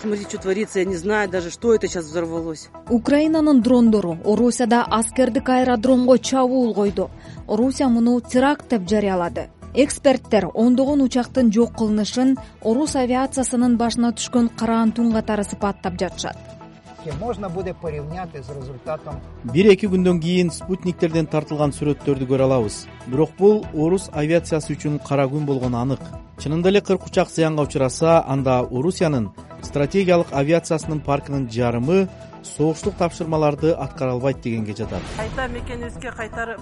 Смотрите, что творится, я не знаю даже, что это сейчас взорвалось. Украинанын дрондору Орусияда аскердик аэродромго чабуул койду. Орусия муну теракт деп жарыялады. Эксперттер ондогон учактын жок кылынышын орус авиациясынын башына түшкөн караан түн катары сыпаттап жатышат. Можно буде порівняти з результатом. 1-2 күндөн кийин спутниктерден тартылган сүрөттөрдү көрө алабыз. Бирок бул орус авиациясы үчүн кара күн болгону анык. Чынында эле 40 учак зыянга учураса, анда Орусиянын стратегиялык авиациясынын паркынын жарымы согуштук тапшырмаларды аткара албайт дегенге жатат. Кайта мекенибизге кайтарып.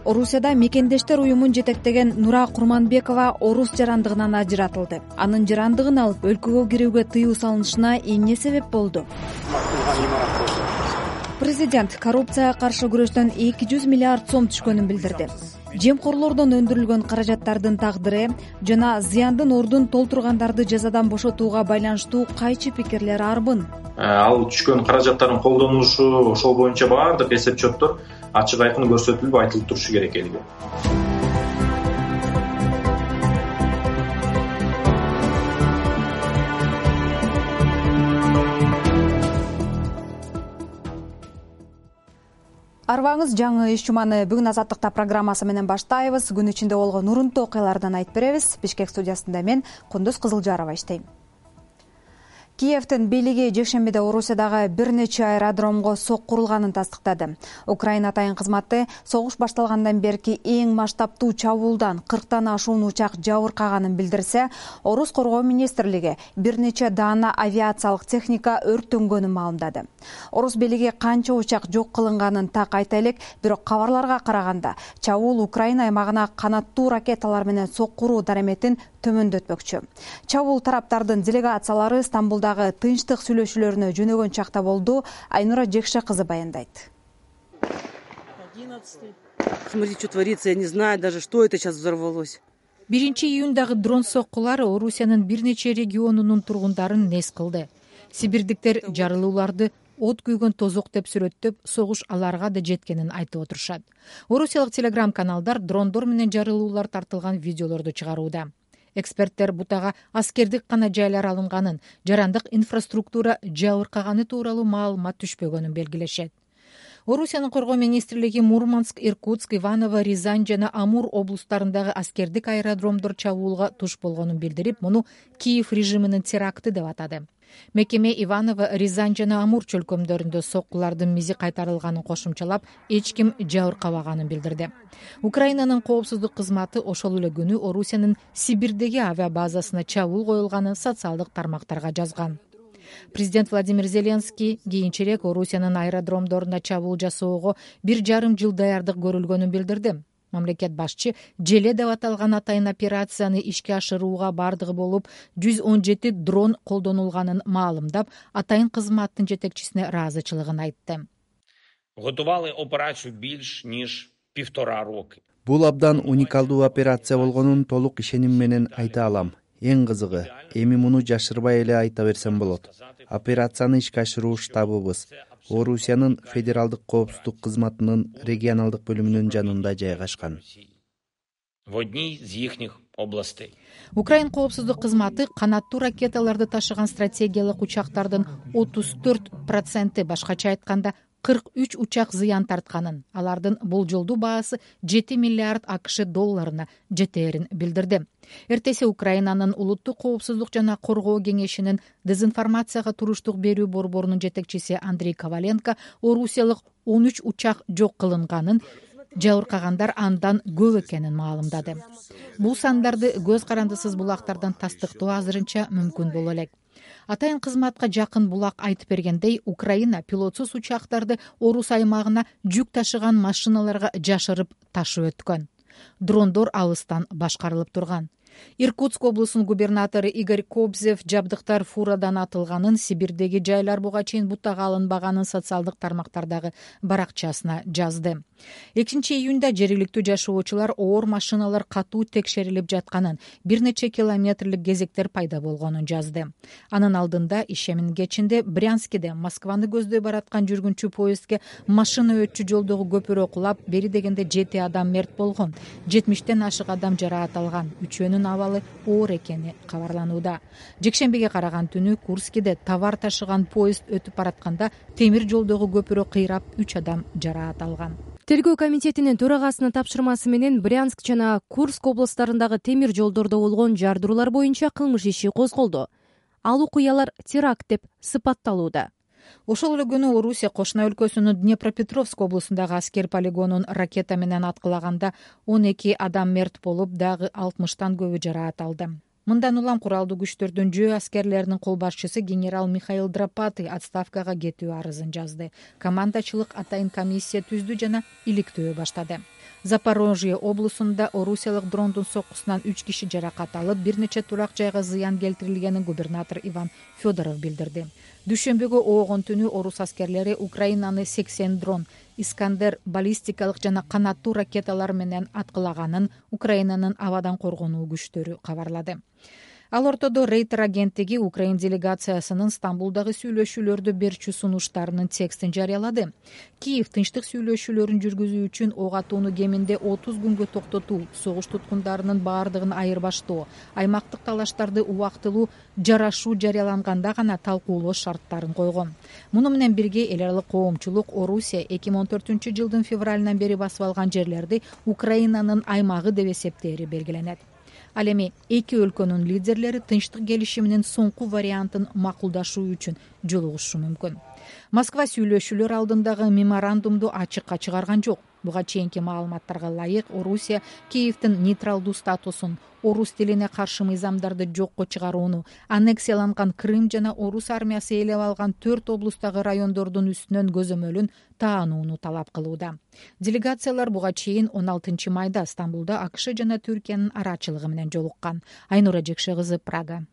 Орусияда мекендештер уюмун жетектеген Нура Курманбекова орус жарандыгынан ажыратылды. Анын жарандыгын алып өлкөгө кирүүгө тыюу салынышына эмне себеп болду? Президент коррупцияга каршы күрөштөн 200 миллиард сом түшкөнүн билдирди. Жемкорлордон өндүрүлгөн каражаттардын тагдыры жана зыяндын ордун толтургандарды жазадан бошотууга байланыштуу кайчы пикирлер арбын. Ал түшкөн каражаттардын колдонулушу, ошол боюнча баардык эсеп-чоттор ачык айкын көрсөтүлүп айтылып турушу керек элге. Арбаңыз жаңы иш жуманы бүгүн Азаттыкта программасы менен баштайбыз. Күн ичинде болгон урунтуу окуялардан айтып беребиз. Бишкек студиясында мен Кундуз Кызылжарова иштейм. Киевдин бийлиги жекшембиде Орусиядагы бир нече аэродромго соккурулганын тастыктады. Украина атайын кызматы согуш башталгандан берки эң масштабтуу чабуулдан 40тан ашуун учак жабыркаганын билдирсе, Орус коргоо министрлиги бир нече даана авиациялык техника өрттөнгөнүн маалымдады. Орус бийлиги канча учак жок кылынганын так айта элек, бирок кабарларга караганда чабуул Украина аймагына канаттуу ракеталар менен соккуруу дараметин төмөндөтмөкчү. Чабуул тараптардын делегациялары Стамбулдагы тынчтык сүйлөшүүлөрүнө жөнөгөн чакта болду. Айнура Жекше кызы баяндайт. Смотрите, что творится, я не знаю даже, что это сейчас взорвалось. 1-июндагы дрон соккулары Орусиянын бир нече регионунун тургундарын нес кылды. Сибирдиктер жарылууларды от күйгөн тозок деп сүрөттөп, согуш аларга да жеткенин айтып отурушат. Орусиялык телеграм-каналдар дрондор менен жарылуулар тартылган видеолорду чыгарууда. Эксперттер бутага аскердик гана жайлар алынганын, жарандык инфраструктура жабыркаганы тууралуу маалымат түшпөгөнүн белгилешет. Орусиянын коргоо министрлиги Мурманск, Иркутск, Иваново, Рязань жана Амур облустарындагы аскердик аэродромдор чабуулга туш болгонун билдирип, муну Киев режиминин теракты деп атады. Мекеме Иваново, Рязань жана Амур чөлкөмдөрүндө соккулардын мизи кайтарылганын кошумчалап, эч ким жабыркабаганын билдирди. Украинанын коопсуздук кызматы ошол эле күнү Орусиянын Сибирдеги авиабазасына чабуул коюлганын социалдык тармактарга жазган. Президент Владимир Зеленский кийинчерээк Орусиянын аэродромдоруна чабуул жасоого 1,5 жыл даярдык көрүлгөнүн билдирди. Мамлекет башчы желе деп аталган атайын операцияны ишке ашырууга бардыгы болуп 117 дрон колдонулганын маалымдап, атайын кызматтын жетекчисине ыраазычылыгын айтты. Готували операцию більш ніж 1,5 роки. Бул абдан уникалдуу операция болгонун толук ишеним менен айта алам. Эң кызыгы, эми муну жашырбай эле айта берсем болот. Операцияны ишке ашыруу штабыбыз Орусиянын федералдык коопсуздук кызматынын регионалдык бөлүмүнүн жанында жайгашкан. В одній з їхніх областей. Украин коопсуздук кызматы канаттуу ракеталарды ташыган стратегиялык учактардын 34%, башкача айтканда 43 учак зыян тартканын, алардын болжолдуу баасы 7 миллиард АКШ долларына жетээрин билдирди. Эртеси Украинанын улуттук коопсуздук жана коргоо кеңешинин дезинформацияга туруштук берүү борборунун жетекчиси Андрей Коваленко Орусиялык 13 учак жок кылынганын, жабыркагандар андан көп экенин маалымдады. Бул сандарды көз карандысыз булактардан тастыктоо азырынча мүмкүн боло элек. Атайын кызматка жакын булак айтып бергендей, Украина пилотсуз учактарды Орус аймагына жүк ташыган машиналарга жашырып ташып өткөн. Дрондор алыстан башкарылып турган. Иркутск облусунун губернатору Игорь Кобзев жабдыктар фурадан атылганын, Сибирдеги жайлар буга чейин бутага алынбаганын социалдык тармактардагы баракчасына жазды. 2-июнда жергиликтүү жашоочулар оор машиналар катуу текшерилип жатканын, бир нече километрлик кезектер пайда болгонун жазды. Анын алдында ишемин кечинде Брянскиде Москваны көздөй бараткан жүргүнчү поездге машина өтчү жолдогу көпүрө кулап, бери дегенде 7 адам мерт болгон, 70тен ашык адам жараат алган, 3-өнүн абалы оор экени кабарланууда. Жекшембиге караган түнү Курскиде товар ташыган поезд өтүп баратканда темир жолдогу көпүрө кыйрап 3 адам жараат алган. Тергөө комитетинин төрагасынын тапшырмасы менен Брянск жана Курск областарындагы темир жолдордо болгон жардыруулар боюнча кылмыш иши козголду. Ал окуялар теракт деп сыпатталууда. Ошол эле күнү Орусия кошуна өлкөсүнүн Днепропетровск облусундагы аскер полигонун ракета менен аткылаганда 12 адам мерт болуп, дагы 60тан көбү жараат алды. Мындан улам куралдуу күчтөрдүн жөө аскерлеринин кол башчысы генерал Михаил Драпатый отставкага кетүү арызын жазды. Командачылык атайын комиссия түздү жана иликтөө баштады. Запорожье облусунда орусиялык дрондун соккусунан 3 киши жаракат алып, бир нече турак жайга зыян келтирилгенин губернатор Иван Федоров билдирди. Дүйшөмбүгө оогон түнү орус аскерлери Украинаны 80 дрон, Искандер баллистикалык жана канаттуу ракеталар менен аткылаганын Украинанын абадан коргонуу күчтөрү кабарлады. Ал ортодо Рейтер агенттиги Украин делегациясынын Стамбулдагы сүйлөшүүлөрдү берчү сунуштарынын текстин жарыялады. Киев тынчтык сүйлөшүүлөрүн жүргүзүү үчүн ок атууну кеминде 30 күнгө токтотуу, согуш туткундарынын баардыгын айырбаштоо, аймактык талаштарды убактылуу жарашуу жарыяланганда гана талкуулоо шарттарын койгон. Муну менен бирге эл аралык коомчулук Орусия 2014 жылдын февралынан бери басып алган жерлерди Украинанын аймагы деп эсептери белгиленет. Ал эми эки өлкөнүн лидерлери тынчтык келишиминин соңку вариантын макулдашуу үчүн жолугушу мүмкүн. Москва сүйлөшүүлөр алдындагы меморандумду ачыкка чыгарган жок. Буга чейинки маалыматтарга ылайык Орусия Киевдин нейтралдуу статусун, орус тилине каршы мыйзамдарды жокко чыгарууну, аннексияланган Крым жана орус армиясы ээлеп алган 4 облустагы райондордун үстүнөн көзөмөлүн таанууну талап кылууда. Делегациялар буга чейин 16 майда Стамбулда АКШ жана Түркиянын арачылыгы менен жолуккан. Айнура Жекше кызы, Прага.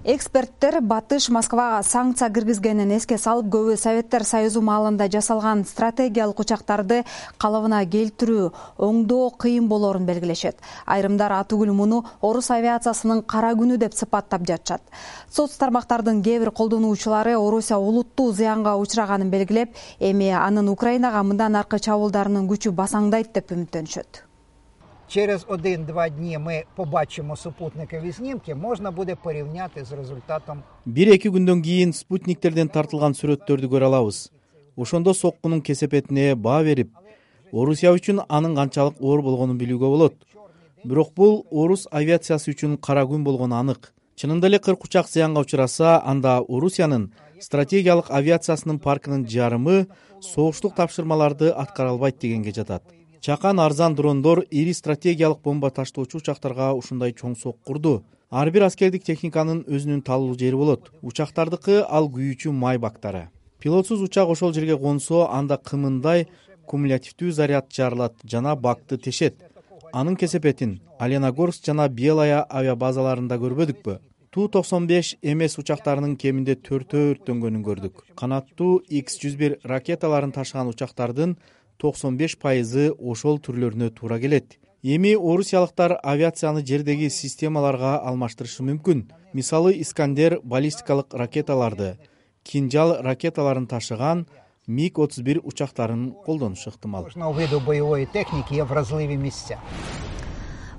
Эксперттер Батыш Москвага санкция киргизгенин эске салып, көбү Советтер Союзу маалында жасалган стратегиялык учактарды калыбына келтирүү, оңдоо кыйын болорун белгилешет. Айрымдар атүгүл муну орус авиациясынын кара күнү деп сыпаттап жатышат. Соц тармактардын кээ бир колдонуучулары Орусия улуттуу зыянга учраганын белгилеп, эми анын Украинага мындан аркы чабуулдарынын күчү басаңдайт деп үмүттөнүшөт. Через 1-2 дні ми побачимо супутникові знімки, можна буде порівняти з результатом. 1-2 күндөн кийин спутниктерден тартылган сүрөттөрдү көрө алабыз. Ошондо соккунун кесепетине баа берип, Орусия үчүн анын канчалык оор болгонун билүүгө болот. Бирок бул орус авиациясы үчүн кара күн болгону анык. Чынында эле 40 учак зыянга учураса, анда Орусиянын стратегиялык авиациясынын паркынын жарымы согуштук тапшырмаларды аткара албайт дегенге жатат. Чакан арзан дрондор ири стратегиялык бомба таштоочу учактарга ушундай чоң соккурду. Ар бир аскердик техниканын өзүнүн талуу жери болот. Учактардыкы ал күйүүчү май бактары. Пилотсуз учак ошол жерге консо, анда кымындай кумулятивдүү заряд жарылат жана бакты тешет. Анын кесепетин Аленогорск жана Белая авиабазаларында көрбөдүкпү? Ту-95 МС учактарынын кеминде 4 өрттөнгөнүн көрдүк. Канаттуу X-101 ракеталарын ташыган учактардын 95% ошол түрлөрүнө туура келет. Эми орусиялыктар авиацияны жердеги системаларга алмаштырышы мүмкүн. Мисалы Искандер баллистикалык ракеталарды, Кинжал ракеталарын ташыган МиГ-31 учактарын колдонушу ыктымал. Виду боевой техники є вразливі місця.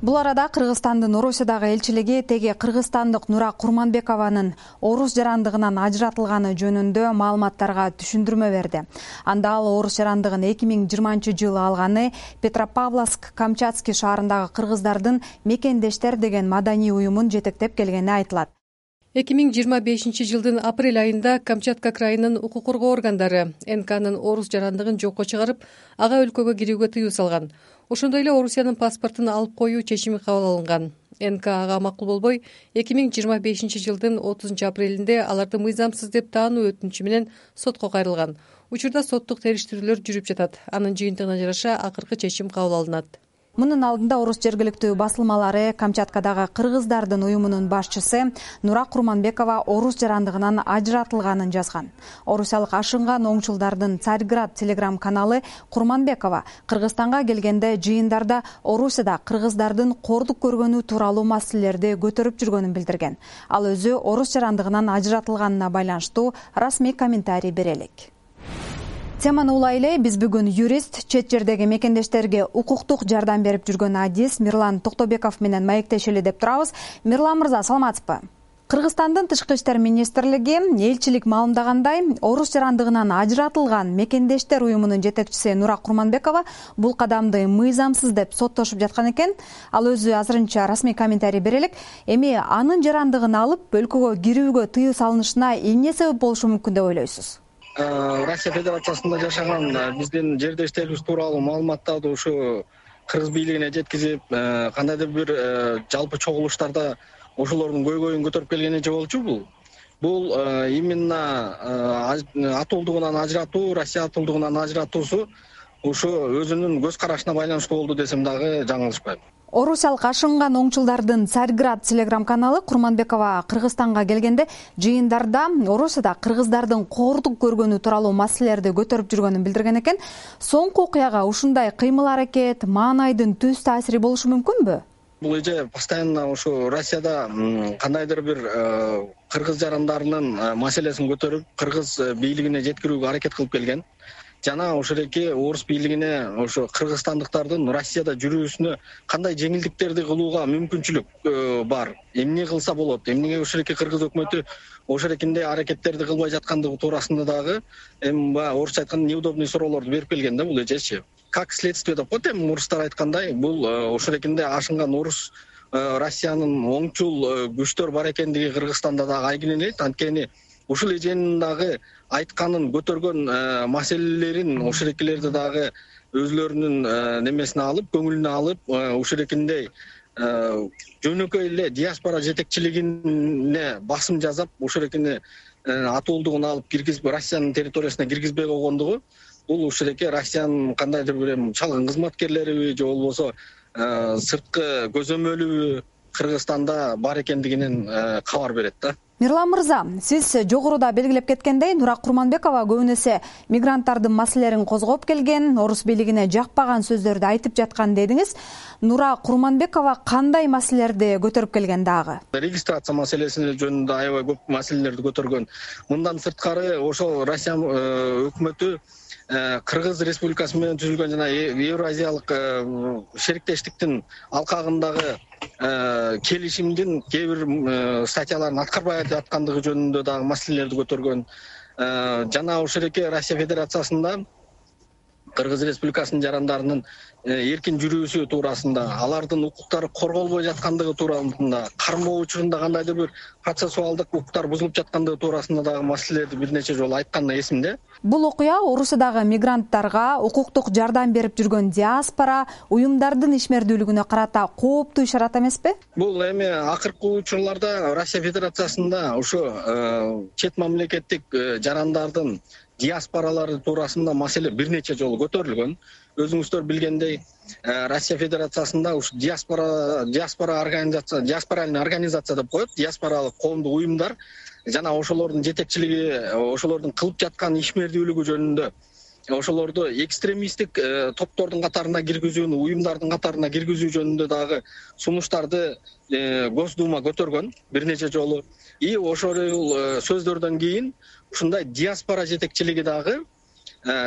Бул арада Кыргызстандын Орусиядагы элчилиги теги кыргызстандык Нура Курманбекованын орус жарандыгынан ажыратылганы жөнүндө маалыматтарга түшүндүрмө берди. Анда ал орус жарандыгын 2020-жылы алганы Петропавловск-Камчатский шаарындагы кыргыздардын мекендештер деген маданий уюмун жетектеп келгени айтылат. 2025-жылдын апрель айында Камчатка крайынын укук коргоо органдары НКнын орус жарандыгын жокко чыгарып, ага өлкөгө кирүүгө тыюу салган. Ошондой эле Орусиянын паспортун алып коюу чечими кабыл алынган. НК ага макул болбой, 2025-жылдын 30 апрелинде аларды мыйзамсыз деп таануу өтүнүчү менен сотко кайрылган. Учурда соттук териштирүүлөр жүрүп жатат. Анын жыйынтыгына жараша акыркы чечим кабыл алынат. Мунун алдында орус жергиликтүү басылмалары Камчаткадагы кыргыздардын уюмунун башчысы Нура Курманбекова орус жарандыгынан ажыратылганын жазган. Орусиялык ашынган оңчулдардын Царьград телеграм каналы Курманбекова Кыргызстанга келгенде жыйындарда Орусияда кыргыздардын кордук көргөнү тууралуу маселелерди көтөрүп жүргөнүн билдирген. Ал өзү орус жарандыгынан ажыратылганына байланыштуу расмий комментарий бере элек. теманы улай эле биз бүгүн юрист, чет жердеги мекендештерге укуктук жардам берип жүргөн адис Мирлан Токтобеков менен маектешели деп турабыз. Мирлан мырза, саламатсызбы? Кыргызстандын Тышкы иштер министрлиги элчилик маалымдагандай, орус жарандыгынан ажыратылган мекендештер уюмунун жетекчиси Нура Курманбекова бул кадамды мыйзамсыз деп соттошуп жаткан экен. Ал өзү азырынча расмий комментарий бере элек. Эми анын жарандыгын алып өлкөгө кирүүгө тыюу салынышына эмне себеп болушу мүмкүн деп ойлойсуз? Россия Федерациясында жашаган биздин жердештерибиз тууралуу маалыматтарды ушу кыргыз бийлигине жеткизип, кандайдыр бир жалпы чогулуштарда ошолордун көйгөйүн көтөрүп келген эже болчу. Бул именно атуулдугунан ажыратуу, Россия атуулдугунан ажыратуусу ушу өзүнүн көз карашына байланыштуу болду десем дагы жаңылышпайм. Орусиялык ашынган оңчулдардын Царьград телеграм каналы Курманбекова Кыргызстанга келгенде жыйындарда Орусияда кыргыздардын коордук көргөнү тууралуу маселелерди көтөрүп жүргөнүн билдирген экен. Соңку окуяга ушундай кыймыл-аракет, маанайдын түз таасири болушу мүмкүнбү? Бул эже постоянно ушу Россияда кандайдыр бир кыргыз жарандарынын маселесин көтөрүп, кыргыз бийлигине жеткирүүгө аракет кылып келген. Жана ошолеки орус бийлигине ошо кыргызстандыктардын Россияда жүрүүсүнө кандай жеңилдиктерди кылууга мүмкүнчүлүк бар. Эмне кылса болот? Эмнеге ошолеки кыргыз өкмөтү ошолекинде аракеттерди кылбай жаткандыгы туурасында дагы баягы орусча айтканда неудобный суроолорду берип келген да бул эжечи. Как следствие деп коет, орустар айткандай, бул ошолекинде ашынган орус Россиянын оңчул күчтөр бар экендиги Кыргызстанда дагы айгинелейт. Анткени ушул эженин дагы айтканын көтөргөн маселелерин ошолекилерди дагы өзүлөрүнүн немесине алып, көңүлүнө алып, ошолекиндей жөнөкөй эле диаспора жетекчилигине басым жасап, ошолекини атуулдугун алып киргизип, Россиянын территориясына киргизбей койгондугу бул ушелеке Россиянын кандайдыр бир чалгын кызматкерлериби же болбосо сырткы көзөмөлүбү Кыргызстанда бар экендигинен кабар берет да. Мирлан мырза, сиз жогоруда белгилеп кеткендей, Нура Курманбекова көбүнесе мигранттардын маселелерин козгоп келген, орус бийлигине жакпаган сөздөрдү айтып жаткан дедиңиз. Нура Курманбекова кандай маселелерди көтөрүп келген дагы? Регистрация маселеси жөнүндө аябай көп маселелерди көтөргөн. Мындан сырткары ошол Россия өкмөтү Кыргыз Республикасы менен түзүлгөн жана Евразиялык шериктештиктин алкагындагы келишимдин кээ бир статьяларын аткарбай жаткандыгы жөнүндө дагы маселелерди көтөргөн. Жана ошолеке Россия Федерациясында Кыргыз Республикасынын жарандарынын эркин жүрүүсү туурасында, алардын укуктары корголбой жаткандыгы туурасында, кармоо учурунда кандайдыр бир процессуалдык укуктар бузулуп жаткандыгы туурасында дагы маселелерди бир нече жолу айтканы эсимде. Бул окуя Орусиядагы мигранттарга укуктук жардам берип жүргөн диаспора уюмдардын ишмердүүлүгүнө карата кооптуу ишарат эмеспи? Бул эми акыркы учурларда Россия Федерациясында ушу чет мамлекеттик жарандардын диаспоралары туурасында маселе бир нече жолу көтөрүлгөн. Өзүңүздөр билгендей, Россия Федерациясында ушу диаспора организация, диаспоральный организация деп коет, диаспоралык коомдук уюмдар жана ошолордун жетекчилиги, ошолордун кылып жаткан ишмердүүлүгү жөнүндө, ошолорду экстремисттик топтордун катарына киргизүүнү, уюмдардын катарына киргизүү жөнүндө дагы сунуштарды Госдума көтөргөн бир нече жолу. И ошол сөздөрдөн кийин ушундай диаспора жетекчилиги дагы,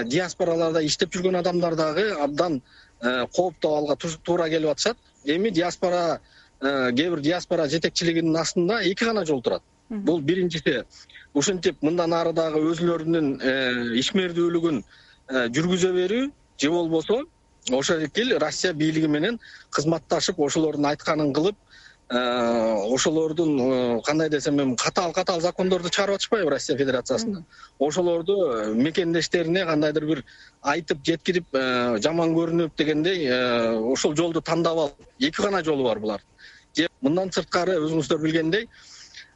диаспораларда иштеп жүргөн адамдар дагы абдан кооптуу абалга туура келип атышат. Эми диаспора, кээ бир диаспора жетекчилигинин астында эки гана жол турат. Бул биринчиси ушинтип мындан ары дагы өзүлөрүнүн ишмердүүлүгүн жүргүзө берүү, же болбосо ошол эки Россия бийлиги менен кызматташып, ошолордун айтканын кылып, ошолордун кандай десем, катаал закондорду чыгарып атышпайбы Россия Федерациясында. Ошолорду мекендештерине кандайдыр бир айтып жеткирип, жаман көрүнүп дегендей, ошол жолду тандап алып, эки гана жолу бар булар. Же мындан сырткары өзүңүздөр билгендей,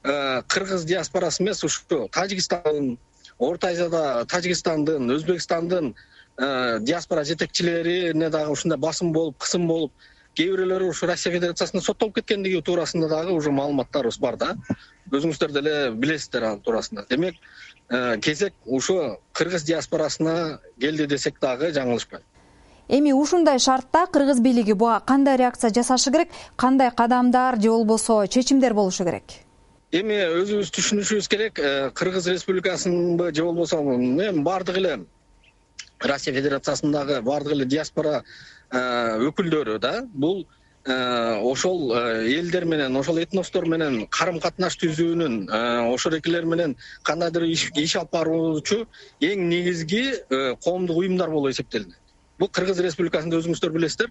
кыргыз диаспорасы эмес, ушу Тажикстандын, Орто Азияда Тажикстандын, Өзбекстандын диаспора жетекчилерине дагы ушундай басым болуп, кысым болуп, кээ бирөөлөрү ушу Россия Федерациясына соттолуп кеткендиги туурасында дагы уже маалыматтарыбыз бар да. Өзүңүздөр деле билесиздер ал туурасында. Демек, кезек ушу кыргыз диаспорасына келди десек дагы жаңылышпайт. Эми ушундай шартта кыргыз бийлиги буга кандай реакция жасашы керек, кандай кадамдар же болбосо чечимдер болушу керек? Эми өзүбүз түшүнүшүбүз керек, Кыргыз Республикасынын же болбосо бардыгы эле Россия Федерациясындагы баардык эле диаспора өкүлдөрү да бул ошол элдер менен, ошол этностор менен карым катнаш түзүүнүн, ошол экилер менен кандайдыр иш алып баруучу эң негизги коомдук уюмдар болуп эсептелинет. Бул Кыргыз Республикасында өзүңүздөр билесиздер,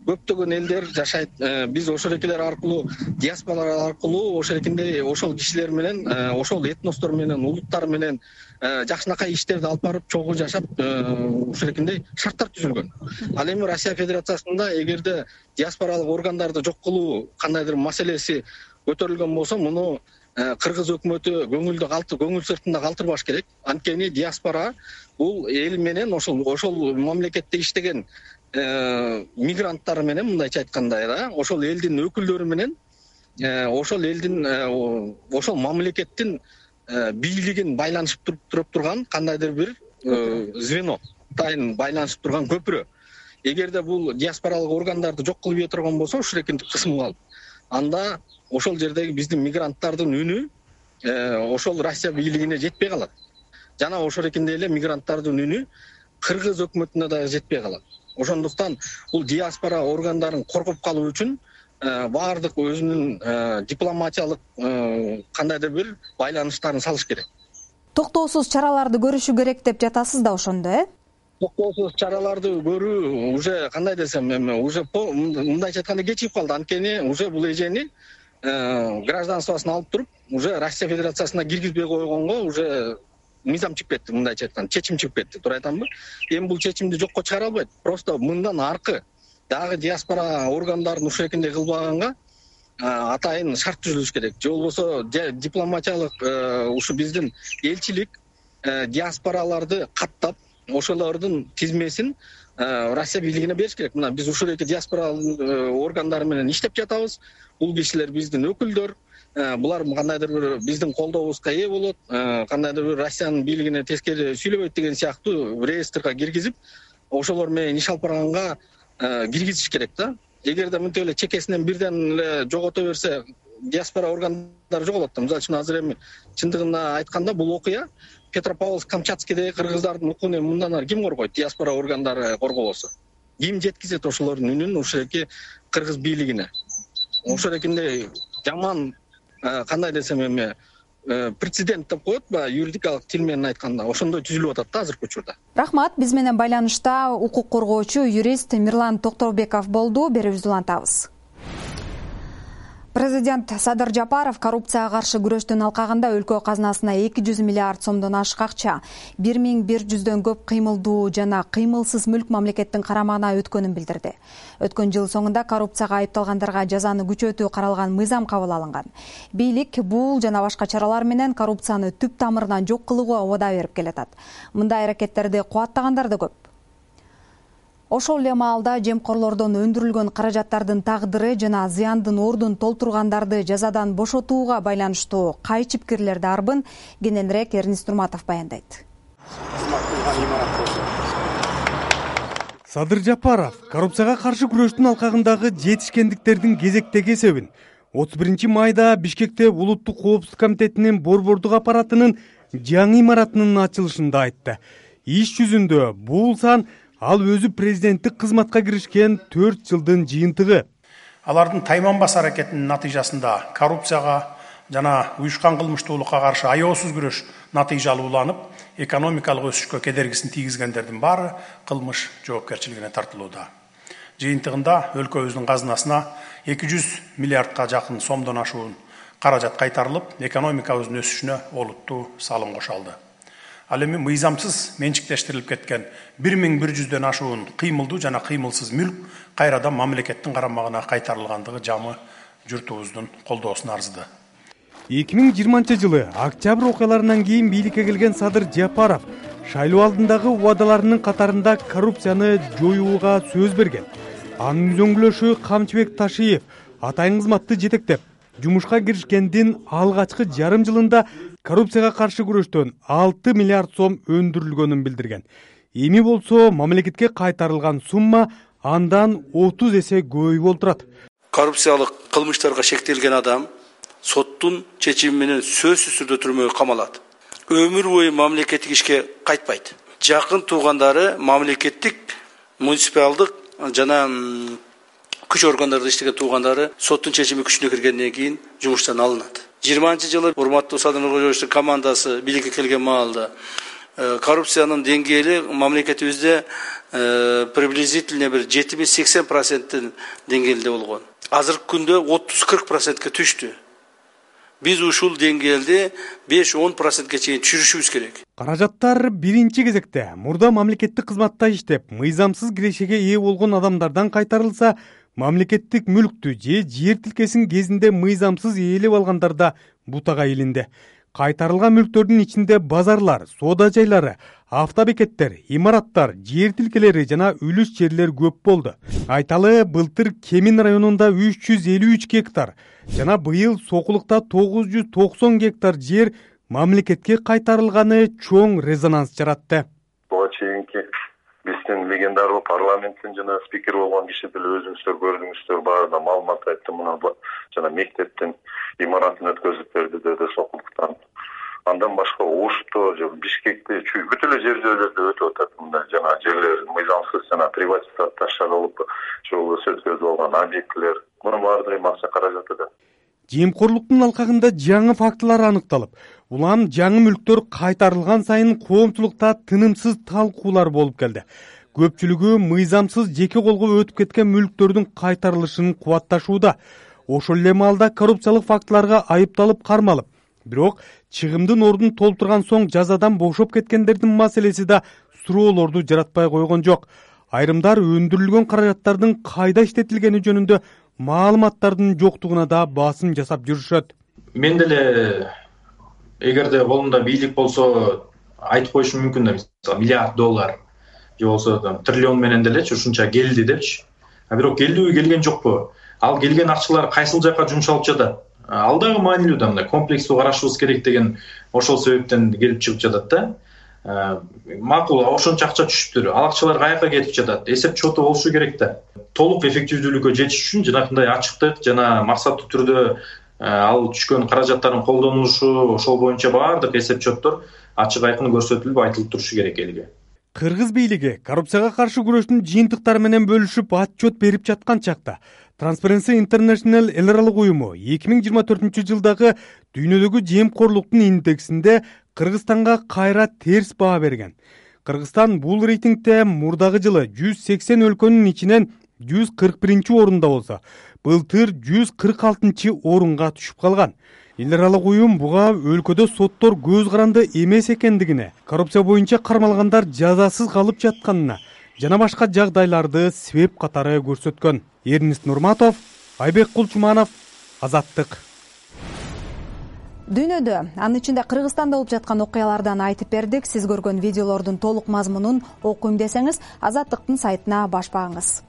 көптөгөн элдер жашайт. Биз ошол экилер аркылуу, диаспора аркылуу ошол кишилер менен, ошол этностор менен, улуттар менен жакшынакай иштерди алып барып, чогуу жашап, ушул экиндей шарттар түзүлгөн. Ал эми Россия Федерациясында эгерде диаспоралык органдарды жок кылуу кандайдыр маселеси көтөрүлгөн болсо, муну Кыргыз өкмөтү көңүл сыртында калтырбаш керек. Анткени диаспора бул эл менен ошол мамлекетте иштеген мигранттар менен, мындайча айтканда, ошол элдин өкүлдөрү менен, ошол мамлекеттин бийлигин байланышып туруп турган кандайдыр бир звено, тайын байланышып турган көпүрө. Эгерде бул диаспоралык органдарды жок кылып ийе турган болсо, ушул экинтип кысым калып, анда ошол жердеги биздин мигранттардын үнү ошол Россия бийлигине жетпей калат. Жана ошол экиндей эле мигранттардын үнү Кыргыз өкмөтүнө дагы жетпей калат. Ошондуктан бул диаспора органдарын коргоп калуу үчүн баардык өзүнүн дипломатиялык кандайдыр бир байланыштарын салыш керек. Токтоосуз чараларды көрүшү керек деп жатасыз да ошондо, Токтоосуз чараларды көрүү уже кандай десем, уже мындайча айтканда кечигип калды. Анткени уже бул эжени гражданствосын алып туруп, уже Россия Федерациясына киргизбей койгонго уже мыйзам чыгып кетти, мындайча айтканда, чечим чыгып кетти, туура айтамбы? Эми бул чечимди жокко чыгара албайт. Просто мындан аркы дагы диаспора органдарын ушул экиндей кылбаганга атайын шарт түзүлүш керек. Же болбосо дипломатиялык ушу биздин элчилик диаспораларды каттап, ошолордун тизмесин Россия бийлигине бериш керек. Мына биз ушул эки диаспора органдары менен иштеп жатабыз. Бул кишилер биздин өкүлдөр, булар кандайдыр бир биздин колдообузга ээ болот, кандайдыр бир Россиянын бийлигине тескери сүйлөбөйт деген сыяктуу реестрге киргизип, ошолор менен иш алып барганга киргизиш керек да. Эгерде мынтип эле чекесинен бирден эле жогото берсе, диаспора органдары жоголот да. Мисалы үчүн азыр эми чындыгында айтканда бул окуя Петропавловск-Камчатскийдеги кыргыздардын укугун мындан ары ким коргойт? Диаспора органдары коргобосо. Ким жеткизет ошолордун үнүн ушул эки кыргыз бийлигине? Ошол экиндей жаман кандай десем эми прецедент деп коет ба, юридикалык тил менен айтканда, ошондой түзүлүп атат да азыркы учурда. Рахмат. Биз менен байланышта укук коргоочу юрист Мирлан Токтобеков болду. Берүүбүздү улантабыз. Президент Садыр Жапаров коррупцияга каршы күрөштүн алкагында өлкө казынасына 200 миллиард сомдон ашык акча, 1100дөн көп кыймылдуу жана кыймылсыз мүлк мамлекеттин карамагына өткөнүн билдирди. Өткөн жыл соңунда коррупцияга айыпталгандарга жазаны күчөтүү каралган мыйзам кабыл алынган. Бийлик бул жана башка чаралар менен коррупцияны түп тамырынан жок кылууга убада берип келатат. Мындай аракеттерди кубаттагандар да көп. Ошол эле маалда жемкорлордон өндүрүлгөн каражаттардын тагдыры жана зыяндын ордун толтургандарды жазадан бошотууга байланыштуу кайчы пикирлерди арбын кененирээк Эрнис Турматов баяндайт. Садыр Жапаров коррупцияга каршы күрөштүн алкагындагы жетишкендиктердин кезектеги эсебин 31 майда Бишкекте Улуттук коопсуздук комитетинин борбордук аппаратынын жаңы имаратынын ачылышында айтты. Иш жүзүндө бул сан ал өзү президенттик кызматка киришкен 4 жылдын жыйынтыгы. Алардын тайманбас аракетинин натыйжасында коррупцияга жана уюшкан кылмыштуулукка каршы аеосуз күрөш натыйжалууланып, экономикалык өсүшкө кедергисин тийгизгендердин баары кылмыш жоопкерчилигине тартылууда. Жыйынтыгында өлкөбүздүн казынасына 200 миллиардка жакын сомдон ашуун каражат кайтарылып, экономикабыздын өсүшүнө олуттуу салым кошулду. Ал эми мыйзамсыз менчиктештирилип кеткен 1100дөн ашуун кыймылдуу жана кыймылсыз мүлк кайрадан мамлекеттин карамагына кайтарылгандыгы жамы журтубуздун колдоосуна арзыды. 2020 октябрь окуяларынан кийин бийликке келген Садыр Жапаров шайлоо алдындагы убадаларынын катарында коррупцияны жоюуга сөз берген. Анын үзөңгүлөшү Камчыбек Ташиев атайын кызматты жетектеп, жумушка киришкендин алгачкы жарым жылында коррупцияга каршы күрөштөн 6 миллиард сом өндүрүлгөнүн билдирген. Эми болсо мамлекетке кайтарылган сумма андан 30 эсе көбөйүп олтурат. Коррупциялык кылмыштарга шектелген адам соттун чечими менен сөзсүз түрдө түрмөгө камалат. Өмүр бою мамлекеттик ишке кайтпайт. жакын туугандары мамлекеттик муниципалдык жана күч органдарында иштеген туугандары соттун чечими күчүнө киргенден кийин жумуштан алынат. 20-жылы урматтуу Садыр Нуркожоевичтин командасы бийликке келген маалда коррупциянын деңгээли мамлекетибизде приблизительно бир 70-80% деңгээлде болгон. Азыркы күндө 30-40%ке түштү. Биз ушул деңгээлде 5-10%ке чейин түшүрүшүбүз керек. Каражаттар биринчи кезекте мурда мамлекеттик кызматта иштеп, мыйзамсыз кирешеге ээ болгон адамдардан кайтарылса, мамлекеттик мүлктү же жер тилкесин кезинде мыйзамсыз ээлеп алгандарда бутага илинди. Кайтарылган мүлктөрдүн ичинде базарлар, соода жайлары, автобекеттер, имараттар, жер тилкелери жана үлүс жерлер көп болду. Айталы, былтыр Кемин районунда 353 гектар жана быйыл Сокулукта 990 гектар жер мамлекетке кайтарылганы чоң резонанс жаратты. Буга чейинки биздин легендардуу парламенттин жана спикер болгон киши деле өзүңүздөр көрдүңүздөр, баарына маалымат айтты. Мына жана мектептин имаратын өткөзүп берди деди Сокулуктан. Андан башка Ошто же Бишкекте бүт эле жерлерде өтүп атат. Мындай жана жерлер мыйзамсыз жана приватизацияланып ошол өткөзүп алган объектилер. Мунун баардыгы акча каражаты да. Жемкорлуктун алкагында жаңы фактылар аныкталып, улам жаңы мүлктөр кайтарылган сайын коомчулукта тынымсыз талкуулар болуп келди. Көпчүлүгү мыйзамсыз жеке колго өтүп кеткен мүлктөрдүн кайтарылышын кубатташууда. Ошол эле маалда коррупциялык фактыларга айыпталып кармалып, бирок чыгымдын ордун толтурган соң жазадан бошоп кеткендердин маселеси да суроолорду жаратпай койгон жок. Айрымдар өндүрүлгөн каражаттардын кайда иштетилгени жөнүндө маалыматтардын жоктугуна да басым жасап жүрүшөт. Мен деле эгерде колумда бийлик болсо айтып коюшум мүмкүн да, мисалы $1 миллиард же болсо триллион менен делечи ушунча келди депчи. Бирок келдиби, келген жокпу? Ал келген акчалар кайсыл жака жумшалып жатат? Ал дагы маанилүү да, мындай комплекстүү карашыбыз керек деген ошол себептен келип чыгып жатат да. Макул, ошончо акча түшүптүр. Ал акчалар каяка кетип жатат? Эсеп чоту болушу керек да. Толук эффективдүүлүккө жетиш үчүн жанакындай ачыктык жана максаттуу түрдө ал түшкөн каражаттардын колдонулушу, ошол боюнча баардык эсеп чоттор ачык айкын көрсөтүлүп, айтылып турушу керек элге. Кыргыз бийлиги коррупцияга каршы күрөштүн жыйынтыктары менен бөлүшүп отчет берип жаткан чакта Transparency International эл аралык уюму 2024-жылдагы дүйнөдөгү жемкорлуктун индексинде Кыргызстанга кайра терс баа берген. Кыргызстан бул рейтингде мурдагы жылы 180 өлкөнүн ичинен 141-орунда болсо, былтыр 146-орунга түшүп калган. Эл аралык уюм буга өлкөдө соттор көз каранды эмес экендигине, коррупция боюнча кармалгандар жазасыз калып жатканына жана башка жагдайларды себеп катары көрсөткөн. Эрнест Нурматов, Айбек Кулчуманов, Азаттык. Дүйнөдө, анын ичинде Кыргызстанда болуп жаткан окуялардан айтып бердик. Сиз көргөн видеолордун толук мазмунун окуйм десеңиз, Азаттыктын сайтына баш багыңыз.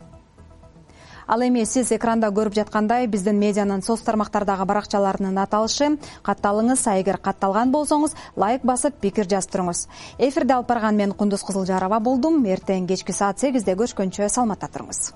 Ал эми сиз экранда көрүп жаткандай, биздин медианын соц тармактардагы баракчаларынын аталышы. Катталыңыз, эгер катталган болсоңуз, лайк басып, пикир жазып туруңуз. Эфирде алып барган мен Кундуз Кызылжарова болдум. Эртең кечки саат 8-де көрүшкөнчө саламатта туруңуз.